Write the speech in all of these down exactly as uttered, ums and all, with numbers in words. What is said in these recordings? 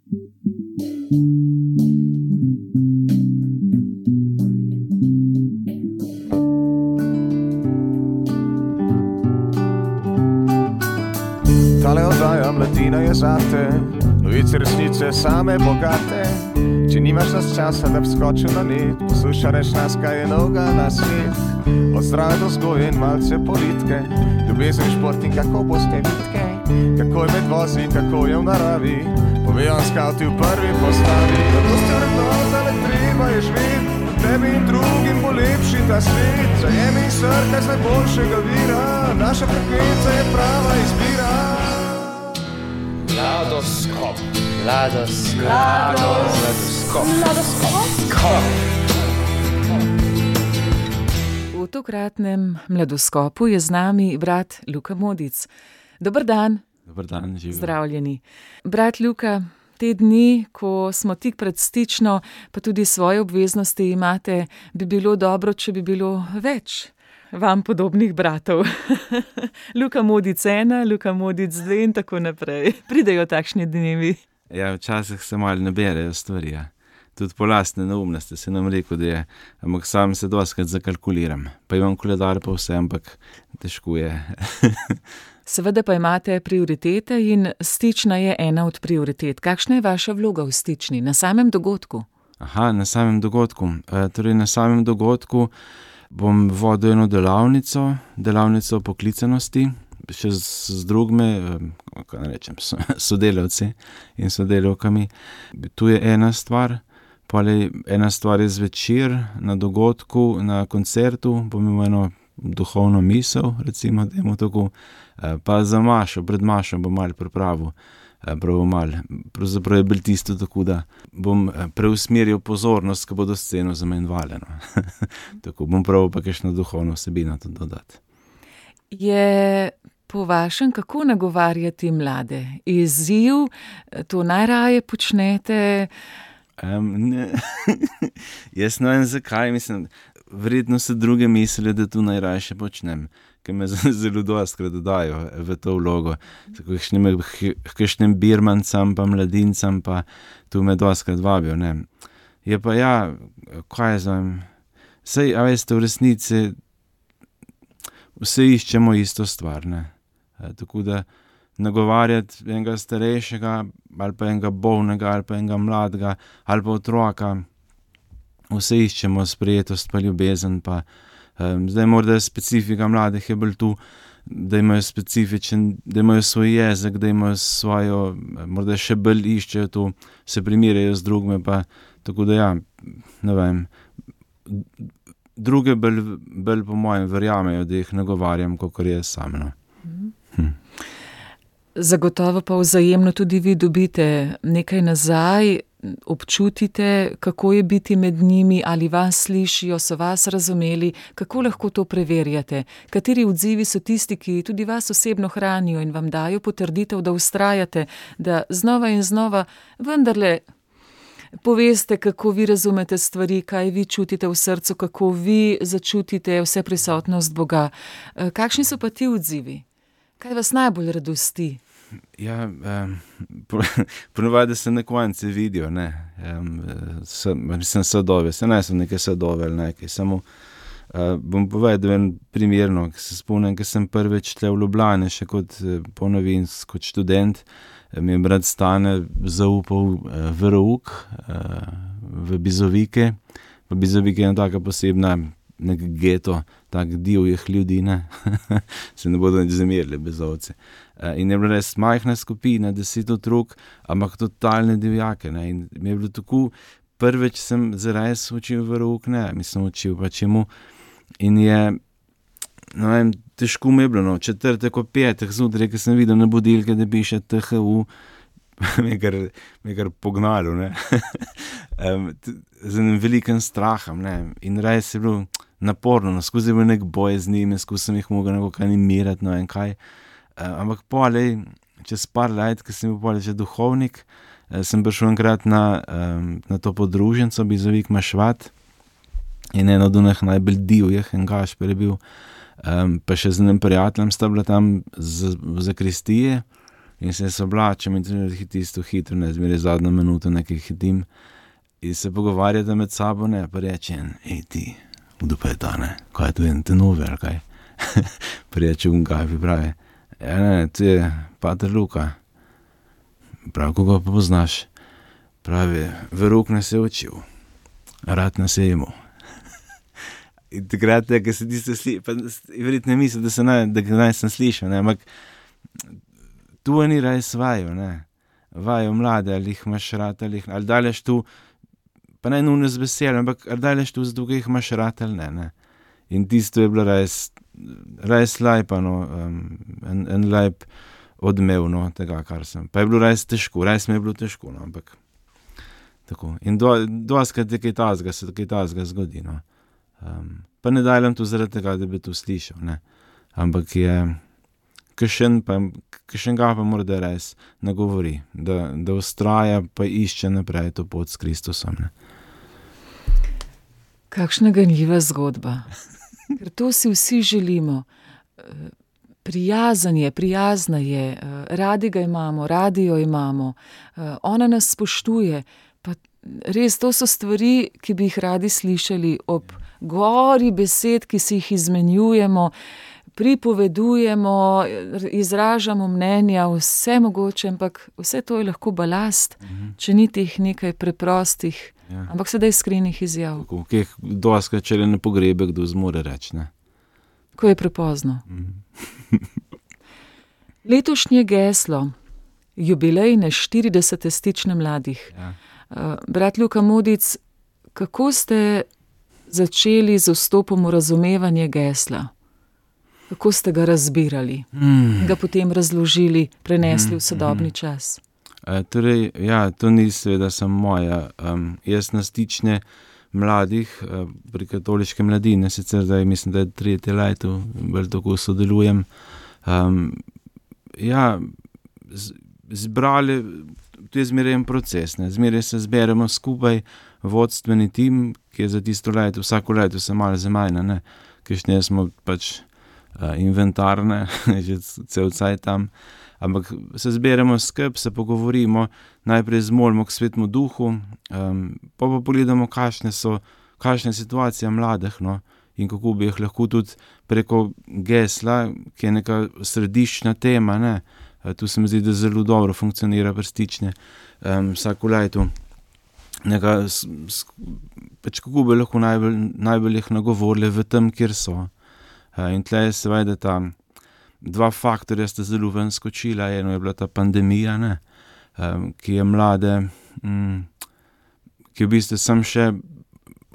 Tale oddaja mladina je zate, novice resnice same bogate. Če nimaš nas časa, da bi skočil na net, poslušaj reč nas, kaj je novega na svet. Od zdrave do vzgoje in malce politike, ljubezen, šport in kako boste vitke, kako je med vozi, kako je v naravi, povejo skauti v prvi postavi. Zato ste vrednota, le treba je živeti, tebi in drugim bo lepši ta svet. Zajemi in srkaj z najboljšega vira, naša frekvenca je prava izbira. Mladoskop. Mladoskop. Mladoskop. Mladoskop. V tokratnem Mladoskopu je z nami brat Luka Modic. Dober dan. Dober dan, živijo. Zdravljeni. Brat Luka, te dni, ko smo tik pred stično, pa tudi svoje obveznosti imate, bi bilo dobro, če bi bilo več vam podobnih bratov. Luka Modic ena, Luka Modic dve in tako naprej. Pridejo takšni dnevi. Ja, včasih se malo naberejo stvari, ja. Tudi po lastne neumnosti se nam rekel, da je, ampak sam se doskrat zakalkuliram. Pa imam koledar pa vse, ampak težko je. Seveda pa imate prioritete in stična je ena od prioritet. Kakšna je vaša vloga v stični, na samem dogodku? Aha, na samem dogodku. E, torej na samem dogodku bom vodil eno delavnico, delavnico poklicanosti, še z, z drugimi, kako ne rečem, sodelavci in sodelavkami. Tu je ena stvar, pole ena stvar je zvečer na dogodku, na koncertu, bom imel eno duhovno misel, recimo, dajmo tako, pa za mašo, pred mašo bom malo pripravil, prav malo, pravzaprav je bil tisto tako, da bom preusmeril pozornost, ko bodo sceno zamenjvali. No. Tako bom prav pa kakšno duhovno vsebino to dodati. Je po vašem, kako nagovarjati mlade? Izziv, to najraje počnete? Um, ne. Jaz ne vem zakaj, mislim, verjetno se druge misle, da to najraje počnem, ker me zelo dostkrat dodajo v to vlogo. Kakšnim birmancam pa mladincam pa tu me dostkrat vabijo, ne. Je pa ja, kaj znam, sej, a veste, v resnici vse iščemo isto stvar, ne. E, tako da nagovarjati enega starejšega ali pa enega bolnega ali pa enega mladega ali pa otroka, vse iščemo sprejetost pa ljubezen pa um, zdaj morda specifika mladih je bolj tu, da imajo specifičen, da imajo svoj jezik, da imajo svojo, morda še bolj iščejo to, se primerjajo z drugimi pa tako da ja, ne vem, druge bolj, bolj po mojem verjamejo, da jih nagovarjam, kakor je sam, no. Hm. Zagotovo pa vzajemno tudi vi dobite nekaj nazaj, občutite, kako je biti med njimi, ali vas slišijo, so vas razumeli, kako lahko to preverjate, kateri odzivi so tisti, ki tudi vas osebno hranijo in vam dajo potrditev, da vztrajate, da znova in znova vendarle poveste, kako vi razumete stvari, kaj vi čutite v srcu, kako vi začutite vse prisotnost Boga. Kakšni so pa ti odzivi? Kaj vas najbolj radosti? Ja, um, ponovadi se na konci vidijo, ne, um, sem sadove, se ne sem neke sadove ali nekaj, samo uh, bom povedal en primerno, ki se spomnim, ki sem prvič tle v Ljubljani, še kot ponovin, kot študent, mi je brat Stane zaupal uh, verouk uh, v Bizovike, v Bizovike je ena taka posebna, nek geto, tak divjih ljudi, ne, se ne bodo nič zamerili Bizovci. In je bila res majhna skupina, deset otrok, ampak totalne divjake, ne, in mi je bilo tako, prvič sem zares učil verouk, ne, mislim učil pa čemu, in je, no vem, težko mi je bilo, no, četrtek o petih zjutraj, ki sem videl na budilke, da piše T H U, me je kar, me je kar pognalo, ne, um, z enim velikim strahom, ne, in res je bilo naporno, no, skozi je bil nek boj z njimi, skozi sem jih mogel nekako animirati, no, in kaj. Uh, ampak polej, čez par let, ko sem bil polej že duhovnik, uh, sem prišel enkrat na, um, na to podruženco, Bizovik Mašvat, in eno od onih najbolj divjih, en Gašper je bil, um, pa še z enim prijateljem sta bila tam z, v zakristije, in se jaz oblačem in tudi tisto hitro, ne, zmeraj zadnjo minuto nekaj hitim in se pogovarjate med sabo, ne, pa reče, ej ti, kdo pa je ta, ne, kaj je to en te nove, ali kaj? Pa reče un Gavi, pravi, ja, ne, to je pater Luka. Pravi, koga pa poznaš? Pravi, veruk nas je učil, rad nas je imel. In takrat je, ko se ti se slišal, pa verjetno ne misli, da se naj, da naj sem slišal, ne, ampak tu ni res vajo, ne, vajo mlade, ali jih imaš rad, ali jih, ali daleš tu, pa ne nujno z veseljem, ampak ali daleš tu, zato jih imaš rad, ali ne, ne. In tisto je bilo res, res lajpa, no, um, en, en lajp odmev, no, tega, kar sem. Pa je bilo res težko, res mi je bilo težko, no, ampak tako. In do, doskrat je kaj tazga, se kaj tazga zgodi, no. Um, pa ne dajlam tu zaradi tega, da bi to slišal, ne. Ampak je, kakšen pa, kakšen ga pa mora da res nagovori, da, da ustraja pa išče naprej to pot s Kristusom, ne. Kakšna ganljiva zgodba. Ker to si vsi želimo. Prijazen je, prijazna je, radi ga imamo, radi jo imamo, ona nas spoštuje, pa res to so stvari, ki bi jih radi slišali ob gori besed, ki si jih izmenjujemo, pripovedujemo, izražamo mnenja, vse mogoče, ampak vse to je lahko balast, mhm. če ni teh nekaj preprostih, ja. ampak sedaj iskrenih izjav. Tako, kje doskrat, če le ne pogrebe, kdo zmore reči, ne? Ko je prepozno. Mhm. Letošnje geslo, jubilejne štiridesete stične mladih. Ja. Brat Luka Modic, kako ste začeli z vstopom v razumevanje gesla? Kako ste ga razbirali? Mm. Ga potem razložili, prenesli mm. v sodobni mm. čas? E, torej, ja, to ni seveda samo moja. Um, jaz na stične mladih uh, pri katoliške mladine, sicer zdaj mislim, da je tretje leto, bolj tako sodelujem. Um, ja, z, zbrali, to je zmeraj en proces, ne? Zmeraj se zberemo skupaj, vodstveni tim, ki je za tisto leto, vsako leto se malo zamajna, ne, kakšne smo pač uh, inventarne, že cel cajt tam, ampak se zberemo skup, se pogovorimo, najprej zmolimo k Svetemu Duhu, um, pa pa pogledamo, kakšne so, kakšne situacije mladih, no, in kako bi jih lahko tudi preko gesla, ki je neka središčna tema, ne, uh, tu se mi zdi, da zelo dobro funkcionira prstične, um, vsako leto. Neka, pač kako bi lahko najbolj, najbolj jih nagovorili v tem, kjer so. In tle je seveda ta dva faktorja sta zelo ven skočila, eno je bila ta pandemija, ne, ki je mlade, ki v bistvu sem še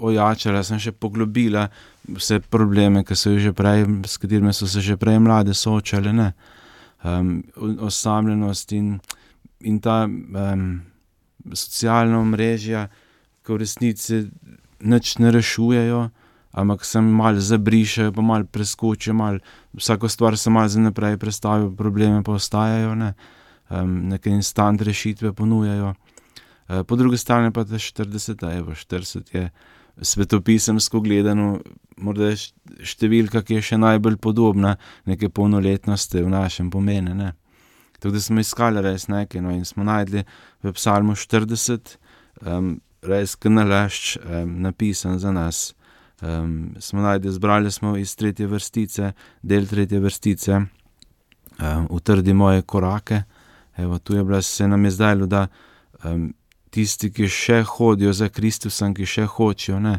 ojačala, sem še poglobila vse probleme, ki so jo že prej, s katerimi so se že prej mlade soočale, ne, osamljenost in, in ta um, socialna omrežja, ko v resnici nič ne rešujejo, ampak se malo zabrišajo, pa malo preskočijo, malo, vsako stvar se malo za naprej predstavijo, probleme pa ostajajo, ne, um, neke instant rešitve ponujajo. Uh, po drugi strani pa ta štirideset, evo, štirideset je svetopisemsko gledano, morda je številka, ki je še najbolj podobna neke polnoletnosti v našem pomenu, ne. Tako da smo iskali res nekaj, no, in smo najdli v psalmu štirideset, um, res kanalašč um, napisan za nas. Um, smo najdli, zbrali smo iz tretje vrstice, del tretje vrstice, um, utrdi moje korake. Evo, tu je bila, se nam je zdajlo, da um, tisti, ki še hodijo za Kristusom, ki še hočijo, ne,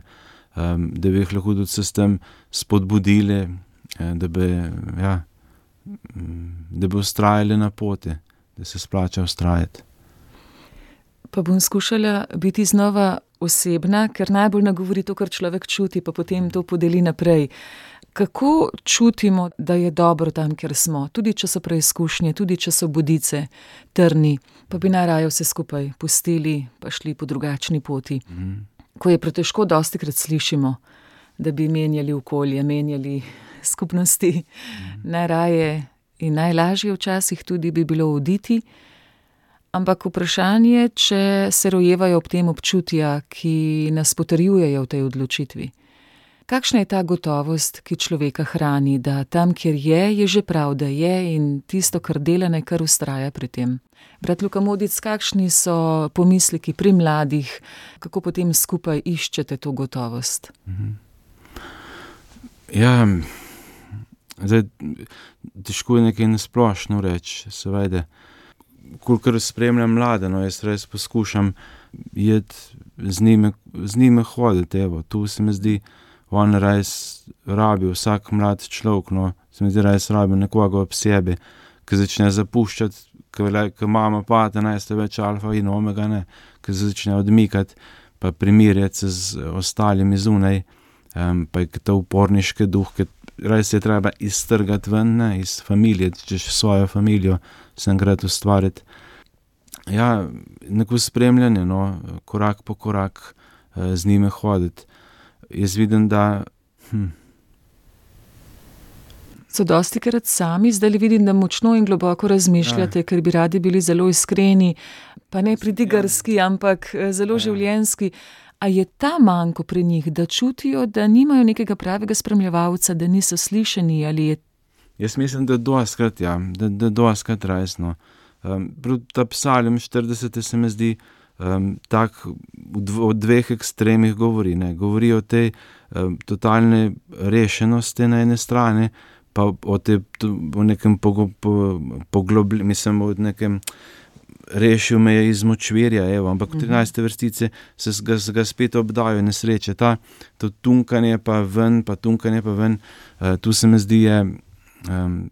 um, da bi jih lahko tudi se s tem spodbudili, da bi, ja, da bi ustrajali na poti, da se splača ustrajati. Pa bom skušala biti znova osebna, ker najbolj nagovori to, kar človek čuti, pa potem to podeli naprej. Kako čutimo, da je dobro tam, kjer smo, tudi če so preizkušnje, tudi če so bodice, trni, pa bi najraje vse skupaj pustili, pa šli po drugačni poti. Mm. Ko je pretežko, dostikrat slišimo, da bi menjali okolje, menjali skupnosti, mm. najraje in najlažje včasih tudi bi bilo oditi, ampak vprašanje, če se rojevajo ob tem občutja, ki nas potrjujejo v tej odločitvi. Kakšna je ta gotovost, ki človeka hrani, da tam, kjer je, je že prav, da je in tisto, kar dela, naj kar vztraja pri tem? Brat Luka Modic, kakšni so pomisleki pri mladih, kako potem skupaj iščete to gotovost? Ja, zdaj, težko je nekaj nasplošno reči, seveda. Kolikor spremljam mlade, no, jaz res poskušam jeti z njimi, z njimi hoditi, evo, tu se mi zdi, on res rabi, vsak mlad človek, no, se mi zdi, res rabi nekoga ob sebi, ki začne zapuščati, ki mama pate, najste več alfa in omega, ne, ki začne odmikati, pa primirjati se z ostalimi zunaj, um, pa je ta uporniški duh, ki res je treba iztrgati ven, ne, iz familije, češ svojo familijo sem gred ustvariti. Ja, neko spremljanje, no, korak po korak z njime hoditi. Jaz vidim, da... Hm. So dostikrat sami, zdaj vidim, da močno in globoko razmišljate, ja. Ker bi radi bili zelo iskreni, pa ne pridigarski, ampak zelo ja. Življenjski. A je ta manko pri njih, da čutijo, da nimajo nekega pravega spremljevalca, da niso slišani, ali je... Jaz mislim, da doskrat, ja, da, da doskrat resno. Um, ta psalm štirideset se mi zdi um, tak o dveh ekstremih govori, ne. Govori o tej um, totalne rešenosti na ene strani, pa o, te, o nekem pogo, po, poglobljenju, mislim, o nekem rešil me je iz močvirja, evo, ampak v trinajste vrstice se ga, ga spet obdajo nesreče. Ta, to tunkanje pa ven, pa tunkanje pa ven, uh, tu se mi zdi je um,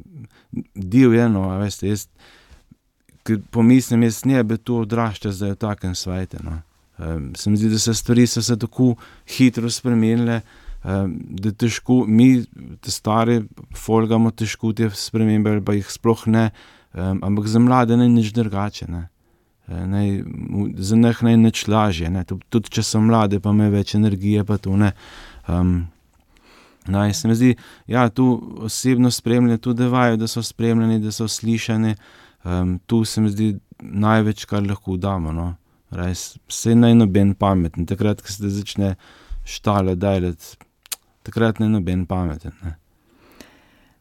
divje, no, a veste, jaz ker pomislim, jaz ne bi to odraščal zdaj v takem svete, no. Um, se mi zdi, da se stvari so se tako hitro spremenile, um, da težko, mi, te stari, folgamo težko te spremembe, ali pa jih sploh ne, um, ampak za mlade naj nič drugače, ne. Naj, za njih naj nič lažje, ne. Tudi če so mlade, pa imajo več energije, pa to ne. Um, naj, se mi zdi, ja, tu osebno spremljanje, tu devajo, da so spremljeni, da so slišani. Um, tu se mi zdi največ, kar lahko damo, no. Res, vse naj noben pameten, takrat, ko se začne štalo dajati, takrat naj noben pameten, ne.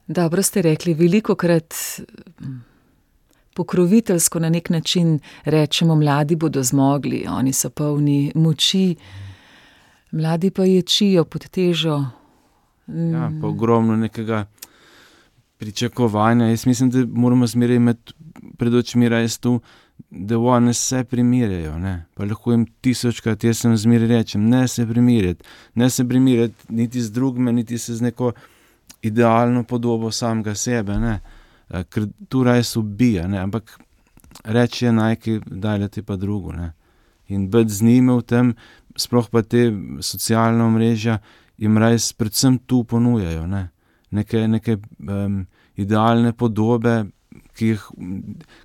Dobro ste rekli, velikokrat pokroviteljsko na nek način rečemo, mladi bodo zmogli, oni so polni moči, mladi pa ječijo pod težo. Mm. Ja, pa ogromno nekega pričakovanja. Jaz mislim, da moramo zmeraj imeti pred očmi res tu, da oni se primirjajo, ne. Pa lahko jim tisočkrat, jaz sem zmeraj rečem, ne se primirjati, ne se primirjati niti z drugme, niti se z neko idealno podobo samega sebe, ne. Ker tu res ubija, ne, ampak reči je najkaj, dajati pa drugo, ne. In biti z njimi v tem, sploh pa te socialne omrežja, jim res predvsem tu ponujajo, ne. Neke, neke um, idealne podobe, ki, jih,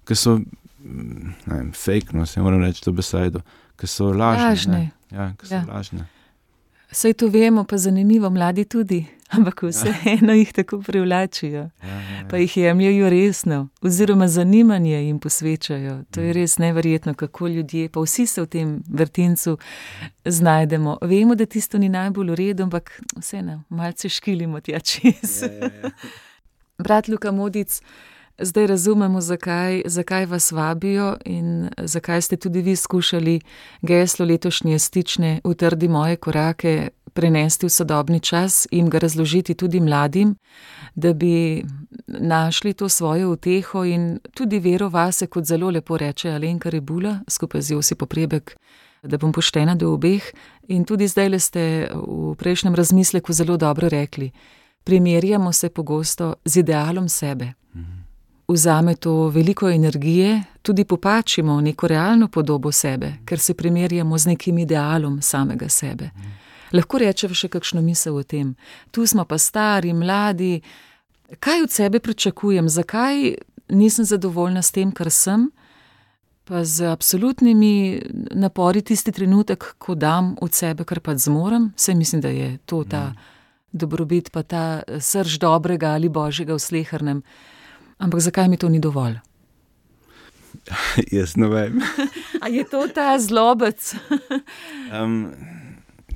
ki so, ne vem, fake, no, se moram reči to besedo, ki so lažne. Lažne. Ja, ki so ja. lažne. Saj to vemo, pa zanimivo, mladi tudi, ampak vseeno ja. Jih tako privlačijo, ja, ja, ja. Pa jih jemljajo resno, oziroma zanimanje jim posvečajo. To je res neverjetno, kako ljudje, pa vsi se v tem vrtincu znajdemo. Vemo, da tisto ni najbolj v redu, ampak vseeno, malce škilimo tja čez. Ja, ja, ja. Brat Luka Modic, zdaj razumemo, zakaj, zakaj vas vabijo in zakaj ste tudi vi skušali geslo letošnje stične Utrdi moje korake prenesti v sodobni čas in ga razložiti tudi mladim, da bi našli to svojo uteho in tudi vero vase, kot zelo lepo reče Alenka Rebula, skupaj z Josipom Prebek, da bom poštena do obeh. In tudi zdajle ste v prejšnjem razmisleku zelo dobro rekli, primerjamo se pogosto z idealom sebe. Vzame to veliko energije, tudi popačimo neko realno podobo sebe, ker se primerjamo z nekim idealom samega sebe. Lahko rečeva še kakšno misel o tem. Tu smo pa stari, mladi. Kaj od sebe pričakujem? Zakaj nisem zadovoljna s tem, kar sem? Pa z absolutnimi napori tisti trenutek, ko dam od sebe, kar pa zmorem. Saj mislim, da je to ta dobrobit, pa ta srž dobrega ali božjega v slehernem. Ampak zakaj mi to ni dovolj? Jaz ne vem. A je to ta zlobec? um,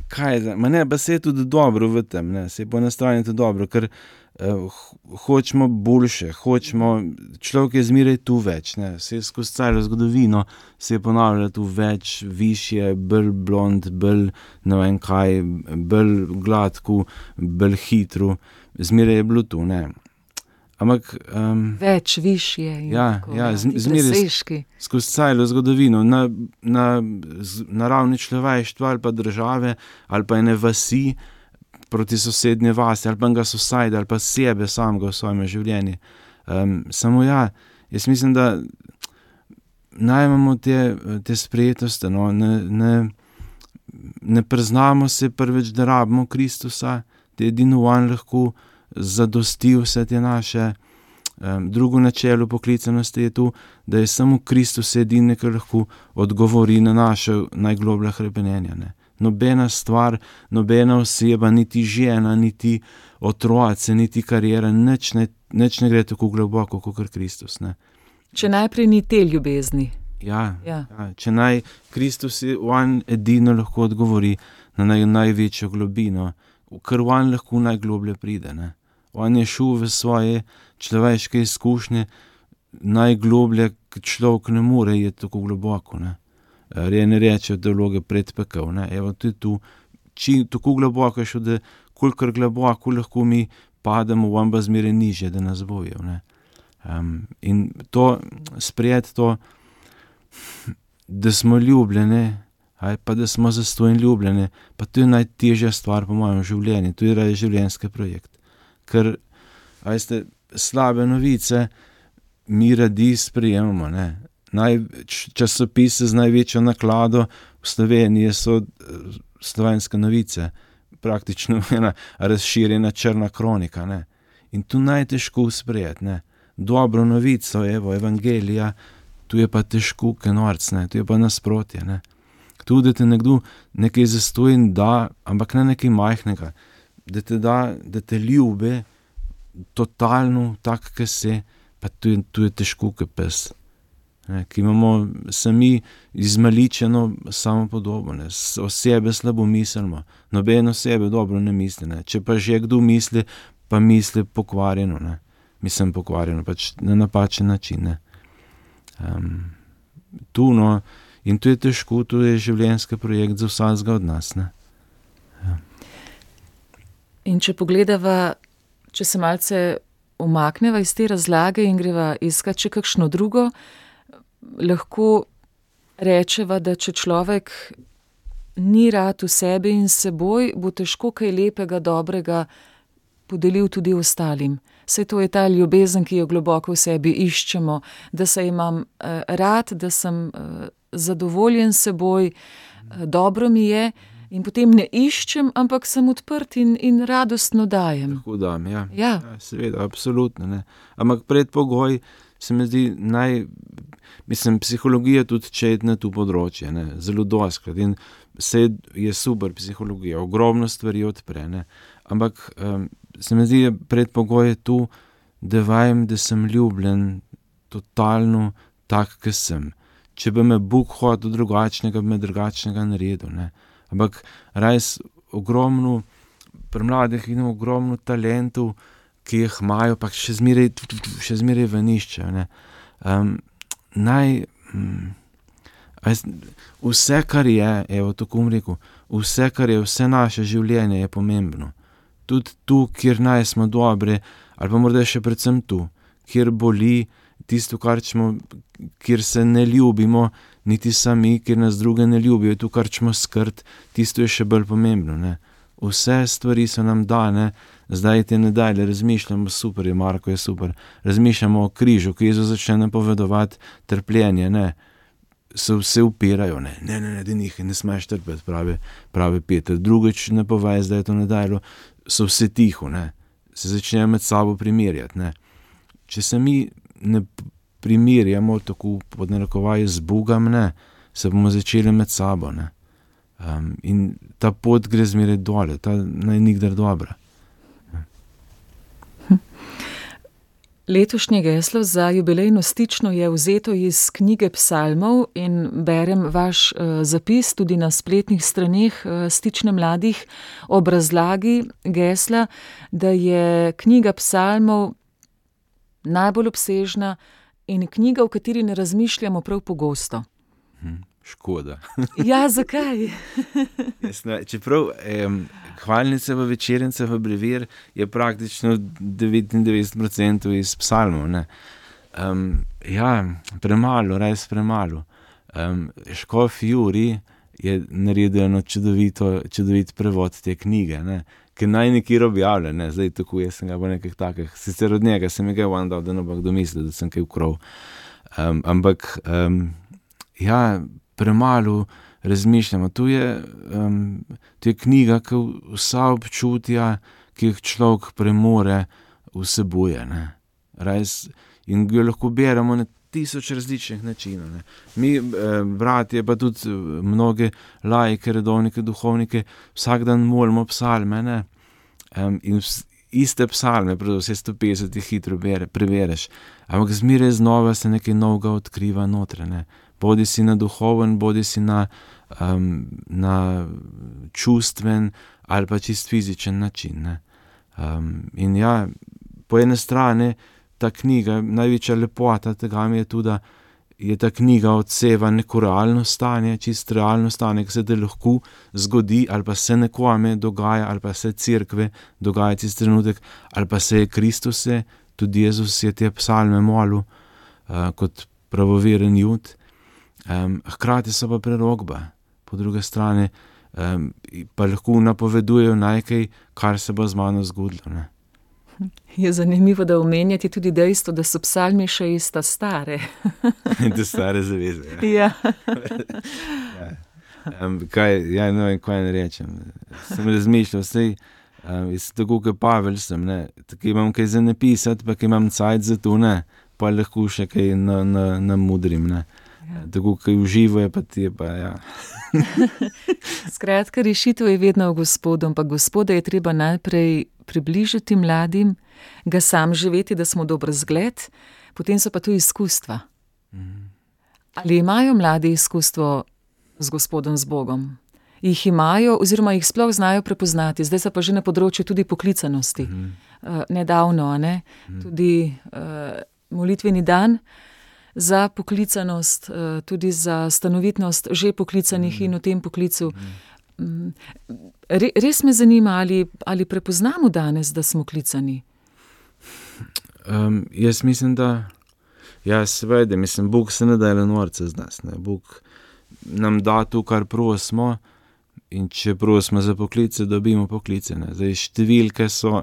kaj je, ma ne, pa se je tudi dobro v tem, ne, se je po eni strani tudi dobro, ker uh, hočemo boljše, hočemo, človek je zmeraj tu več, ne, se je skozi celo zgodovino, se je ponavljalo tu več, višje, bolj blond, bolj ne vem kaj, bolj gladko, bolj hitro, zmeraj je bilo tu, ne. Ampak, um, več, višje in ja, tako, ja, ti zmeraj presežki. skozi celo zgodovino, na, na, na ravni človeštva ali pa države, ali pa ene vasi proti sosednje vasi, ali pa enega society, ali pa sebe samega v svojem življenju. Um, samo ja, jaz mislim, da naj imamo te, te sprejetosti, no, ne, ne, ne priznamo se prvič, da rabimo Kristusa, da je edino on lahko zadosti vse te naše. Um, drugo načelo poklicanosti je tu, da je samo Kristus edini, ki lahko odgovori na naše najgloblja hrepenenja. Ne. Nobena stvar, nobena oseba, niti žena, niti otroci, niti karijera, nič ne, nič ne gre tako globoko, kot Kristus. Ne. Če najprej ni te ljubezni. Ja, Ja. ja, če naj Kristus je on edino lahko odgovori na naj, največjo globino, ker on lahko najgloblje pride. Ne. On je šel v svoje človeške izkušnje najgloblje, ki človek ne more, je tako globoko. Ne. Rejene reče teologe predpekel. Ne. Evo, to je tu, či, tako globoko je šel, da kolikor globoko lahko mi pademo, on pa zmeraj niže, da nas bojo. Ne. Um, in to, sprejeti to, da smo ljubljene, aj pa da smo zastonj ljubljene, pa to je najtežja stvar po mojem življenju, to je življenjski projekt. Ker, ajste, slabe novice mi radi sprejemamo, ne. Naj, časopise z največjo naklado v Sloveniji so Slovenske novice, praktično ena razširjena črna kronika, ne. In tu najtežko sprejeti, ne. Dobro novico, evo, evangelija, tu je pa težko, kenorc, ne, tu je pa nasprotje, ne. Tu, da te nekdo nekaj zastojn da, ampak ne nekaj majhnega, da te da, da te ljube, totalno tak, ki se, pa tu je, tu je težko, ki pes. Ne, ki imamo sami izmaličeno samopodobo, ne, o sebe slabo mislimo, noben o sebe dobro ne misli, ne, če pa že kdo misli, pa misli pokvarjeno, ne, mislim pokvarjeno, pač na napačen način, ne. Um, tu, no, in tu je težko, tu je življenjski projekt za vsakega od nas, ne. Ja. In če pogledava, če se malce umakneva iz te razlage in greva iskat še kakšno drugo, lahko rečeva, da če človek ni rad v sebi in seboj, bo težko kaj lepega, dobrega podelil tudi ostalim. Saj to je ta ljubezen, ki jo globoko v sebi iščemo, da se imam eh, rad, da sem eh, zadovoljen s seboj, eh, dobro mi je in potem ne iščem, ampak sem odprt in, in radostno dajem. Lahko dam, ja. Ja. Ja, seveda, absolutno, ne. Ampak predpogoj se mi zdi naj, mislim, psihologija tudi četne tu področje, ne, zelo doskrat in se je super psihologija, ogromno stvari odpre, ne, ampak um, se mi zdi, predpogoj je tu, da vajem, da sem ljubljen totalno tak, ki sem. Če bi me Bog hotel drugačnega, bi me drugačnega naredil, ne. Ampak res ogromno, pri mladih in ogromno talentov, ki jih imajo, pa še zmeraj, še zmeraj venišče, ne. Um, naj, um, vse, kar je, evo, tako bom rekel, vse, kar je, vse naše življenje je pomembno. Tudi tu, kjer naj smo dobre, ali pa morda še predvsem tu, kjer boli, tisto, kar čemo, kjer se ne ljubimo, niti sami, kjer nas druge ne ljubijo, tu, kar čemo skrt, tisto je še bolj pomembno, ne. Vse stvari so nam dane, zdaj te nedalje razmišljamo, super je, Marko je super, razmišljamo o križu, ki Jezus začne napovedovati trpljenje, ne, se vse upirajo, ne, ne, ne, ne, da njih ne smeš trpeti, pravi, pravi Peter, drugič ne povej, zdaj je to nedaljo, so vse tiho, ne, se začnejo med sabo primerjati, ne. Če se mi ne primerjamo tako pod narekovaji z Bogom, ne, se bomo začeli med sabo, ne. Um, in ta pot gre zmeraj dole, ta naj nikdar dobra. Letošnje geslo za jubilejno stično je vzeto iz knjige psalmov in berem vaš uh, zapis tudi na spletnih straneh uh, Stične mladih ob razlagi gesla, da je knjiga psalmov najbolj obsežna in knjiga, v kateri ne razmišljamo prav pogosto. Hm, škoda. Ja, zakaj? Jasno, čeprav um, hvalnice v večernice v brevir je praktično devetindevetdeset procentov iz psalmov. Ne? Um, ja, premalo, res premalo. Um, Škof Juri je naredil eno čudovito, čudovit prevod te knjige, ne? Ki naj nekjer objavlja, ne? Zdaj tako jaz sem ga v nekih takih, sicer od njega sem ga vam dal, da ne bo kdo mislil, da sem kaj ukrov. Um, ampak, um, ja, premalo razmišljamo. Tu je, um, tu je knjiga, ki vsa občutja, ki jih človek premore, vsebuje. Ne? Res, in jo lahko beremo na tisoč različnih načinov. Ne? Mi, eh, bratje, pa tudi mnoge laike, redovnike, duhovnike, vsak dan molimo psalme, ne? Um, in vs, iste psalme, predvsem vse sto petdeset jih hitro bere, prevereš, ampak zmeraj znova se nekaj novega odkriva notre, ne? Bodi si na duhoven, bodi si na, um, na čustven ali pa čist fizičen način. Ne? Um, in ja, po ene strani ta knjiga, največja lepota tega mi je tudi, da je ta knjiga odseva neko realno stanje, čist realno stanje, ki se te lahko zgodi, ali pa se nekome dogaja, ali pa se cerkve dogaja čist trenutek, ali pa se je Kristuse, tudi Jezus je te psalme molil uh, kot pravoveren Jud. Um, hkrati so pa prerokba, po druge strani um, pa lahko napovedujejo nekaj, kar se bo z mano zgodilo. Ne? Je zanimivo, da omenjati tudi dejstvo, da so psalmi še ista stare. Da stare zaveze. Ja. Ja. Um, kaj, ja, no, kaj ne rečem. Sem razmišljal, sej, um, tako kot Pavel sem, ne, tako imam kaj za napisati, pa kaj imam cajt za to, ne, pa lahko še kaj na, na, na mudrim, ne. Ja. Tako kaj uživo je pa ti, pa ja. Skratka, rešitev je vedno v Gospodu, ampak Gospoda je treba najprej približati mladim, ga sam živeti, da smo dober zgled, potem so pa tu izkustva. Mm. Ali imajo mladi izkustvo z Gospodom, z Bogom? Jih imajo oziroma jih sploh znajo prepoznati, zdaj so pa že na področju tudi poklicanosti. Mm. Uh, nedavno, ne? Mm. Tudi uh, molitveni dan za poklicanost, uh, tudi za stanovitnost že poklicanih mm. in v tem poklicu. Mm. Re, res me zanima, ali, ali prepoznamo danes, da smo klicani? Um, jaz mislim, da ja, seveda, mislim, Bog se ne da le norce z nas, ne. Bog nam da to, kar prosimo, in če prosimo za poklice, dobimo poklice, ne. Zdaj, številke so,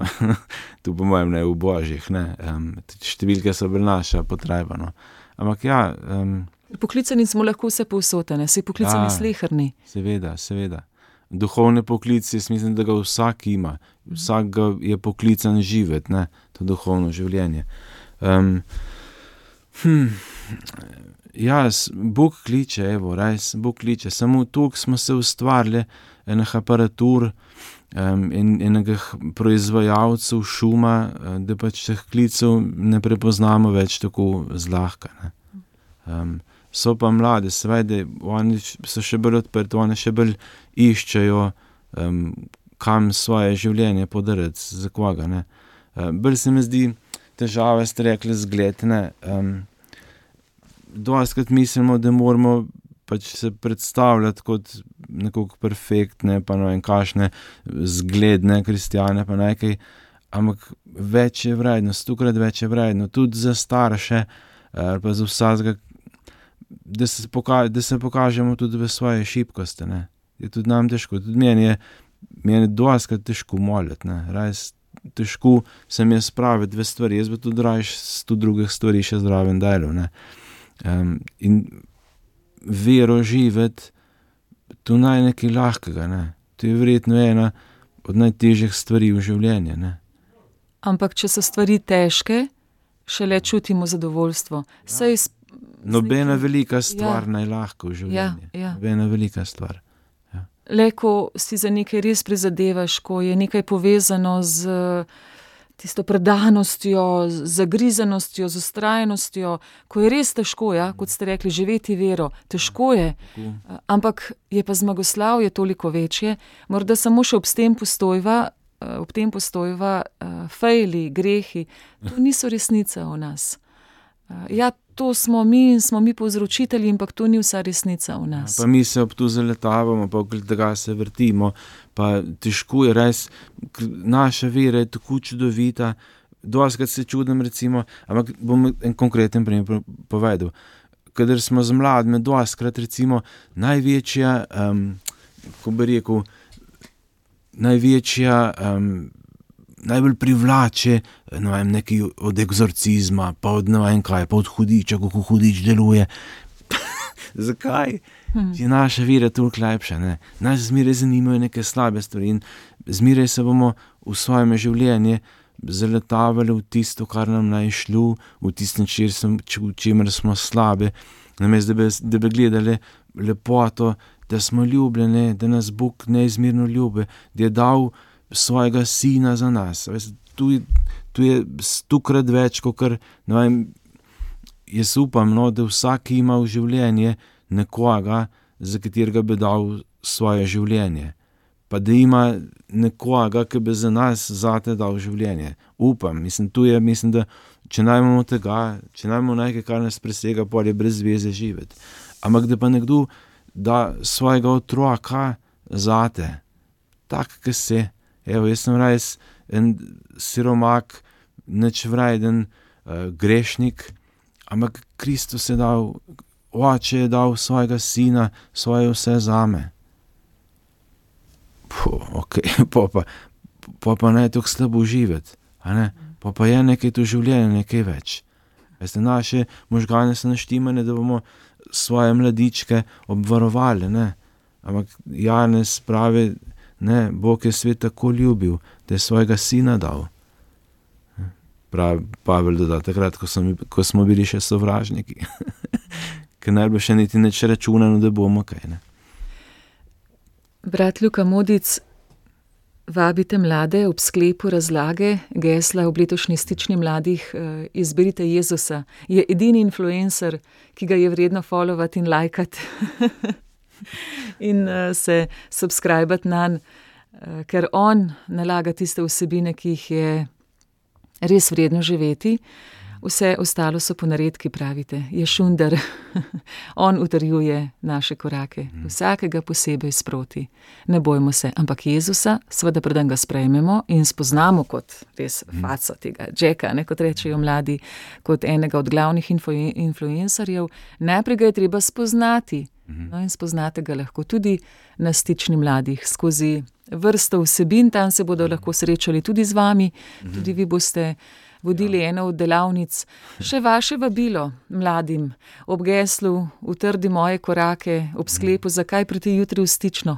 tu po mojem ne, v božjih, ne, um, številke so bil naša potreba, no. Ampak ja... Um, poklicani smo lahko vse povsod, ne, si poklicani ja, sleherni. Seveda, seveda. Duhovne poklice, jaz mislim, da ga vsak ima. Vsak ga je poklican živeti, ne, to duhovno življenje. Um, hm, ja, Bog kliče, evo, res, Bog kliče. Samo tukaj smo se ustvarili enih aparatur um, in enega proizvajalcev šuma, da pač teh klicev ne prepoznamo več tako zlahka, ne. Um, So pa mlade, seveda, oni so še bolj odprti, oni še bolj iščejo, um, kam svoje življenje podariti, za koga, ne. Um, bolj se mi zdi težave, ste rekli, zgled, ne. Um, dostikrat mislimo, da moramo pač se predstavljati kot nekako perfektne, pa no in kašne zgledne kristjane, pa nekaj, ampak več je vredno, stokrat več je vredno, tudi za starše, ali pa za vsakega, Da se, poka- da se pokažemo tudi v svoje šibkosti, ne. Je tudi nam težko, tudi meni je, meni je dostikrat težko moliti, ne. Res težko se mi je spraviti v stvari, jaz bi tudi raje sto drugih stvari še zraven delal, ne. Um, in vero živeti, to naj nekaj lahkega, ne. To je verjetno ena od najtežjih stvari v življenju, ne. Ampak če so stvari težke, šele čutimo zadovoljstvo. Saj iz Nobena velika stvar ja. najlahko v življenju. Ja, ja. Nobena velika stvar. Ja. Le, ko si za nekaj res prizadevaš, ko je nekaj povezano z tisto predanostjo, zagrizanostjo, z ustrajnostjo, ko je res težko, ja, kot ste rekli, živeti vero. Težko je, ampak je pa zmagoslavje toliko večje. Morda samo še ob tem postojva, ob tem postojva fejli, grehi, to niso resnica o nas. Ja, to smo mi in smo mi povzročitelji, ampak to ni vsa resnica o nas. Pa mi se ob to zaletavamo, pa okoli tega se vrtimo, pa težko je res, naša vera je tako čudovita, doskrat se čudim recimo, ampak bom en konkreten primer povedal. Kadar smo z mladimi, doskrat recimo največja, um, ko bi rekel, največja, um, najbolj privlače, ne vem, nekaj od egzorcizma, pa od ne vem kaj, pa od hudiča, kako hudič deluje. Zakaj? Hmm. Je naša vera toliko lepša, ne? Nas zmeraj zanimajo neke slabe stvari in zmeraj se bomo v svojem življenju zaletavali v tisto, kar nam naj šlo, v tisto, v čemer smo slabe, namesto da bi, da bi gledali lepoto, da smo ljubljeni, da nas Bog neizmerno ljubi, da je dal svojega sina za nas. Tu je, tu je stokrat več, kot kar, ne vem, jaz upam, no, da vsak ima v življenje nekoga, za katerega bi dal svoje življenje. Pa da ima nekoga, ki bi za nas zate dal življenje. Upam, mislim, tu je, mislim, da če najmemo tega, če najmemo nekaj, kar nas presega, pol je brez veze živeti. Ampak da pa nekdo da svojega otroka zate, tak, ki si. Evo, jaz sem res en siromak, nič vreden, uh, grešnik, ampak Kristus je dal, oče je dal svojega sina, svoje vse zame. Puh, ok, pa pa, pa, pa ne tako slabo živeti, a ne? Pa pa je nekaj to življenje, nekaj več. Veste, naše možgane so naštimane, da bomo svoje mladičke obvarovali, ne? Ampak Janez pravi, ne, Bog je svet tako ljubil, da je svojega sina dal. Pravi Pavel doda, takrat, ko smo, ko smo bili še sovražniki. Ker najbolj še niti neč računano, da bomo kaj, ne. Brat Luka Modic, vabite mlade ob sklepu razlage gesla ob letošnji stični mladih Izberite Jezusa. Je edini influencer, ki ga je vredno followati in lajkati. In uh, se subscribati nanj, uh, ker on nalaga tiste vsebine, ki jih je res vredno živeti. Vse ostalo so ponaredki, pravite. Je šundar. On utrjuje naše korake. Vsakega posebej sproti. Ne bojmo se. Ampak Jezusa, seveda preden ga sprejmemo in spoznamo kot res faco tega Jacka, ne, kot rečejo mladi, kot enega od glavnih info- influencerjev, najprej ga je treba spoznati. No, in spoznate ga lahko tudi na stični mladih skozi vrsto vsebin, tam se bodo lahko srečali tudi z vami, tudi vi boste vodili ja. eno od delavnic. Še vaše vabilo mladim ob geslu Utrdi moje korake, ob sklepu, zakaj priti jutri v stično?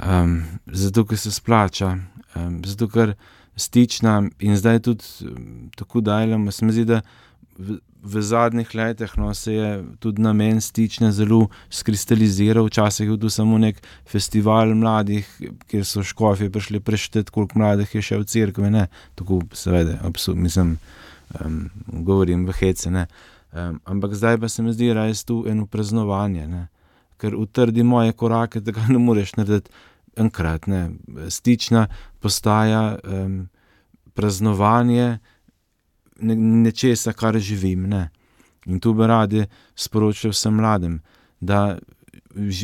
Um, zato, ker se splača, um, zato, ker stična in zdaj tudi um, tako daljamo, se mi zdi, da v, v zadnjih letih, no, se je tudi namen stične zelo skristaliziral. Včasih je bil samo nek festival mladih, kjer so škofje prišli prešteti, koliko mladih je še v cerkvi, ne, tako seveda, absolut, mislim, um, govorim v hece, ne, um, ampak zdaj pa se mi zdi res tu eno praznovanje, ne, ker utrdi moje korake, tega ne moreš narediti enkrat, ne, stična postaja um, praznovanje nečesa, kar živim, ne. In tu bi radi sporočil vsem mladim, da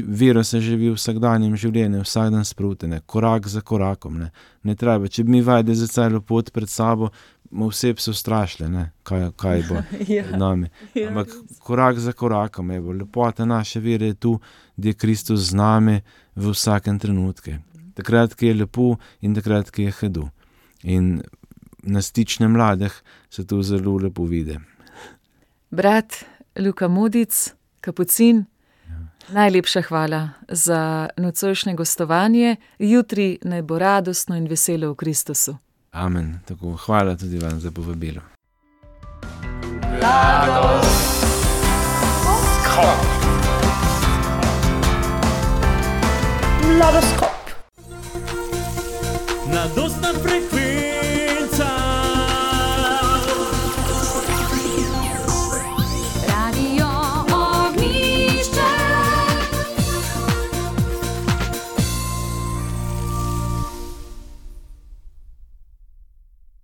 vero se živi v vsakdanjem življenju, vsak dan sproti, ne, korak za korakom, ne. Ne treba, če bi mi vajde za celo pot pred sabo, mu vse so strašile, ne, kaj, kaj bo ja. nami. Ampak korak za korakom, evo, lepota naše vere je tu, da je Kristus z nami v vsakem trenutku. Takrat, ki je lepo in takrat, ki je hudo. In na stične mladih se to zelo lepo vidi. Brat Luka Modic, kapucin, ja. Najlepša hvala za nocojšnje gostovanje. Jutri naj bo radostno in veselo v Kristusu. Amen. Tako, hvala tudi vam za povabilo. Mladoskop. Mladostna frekvenca.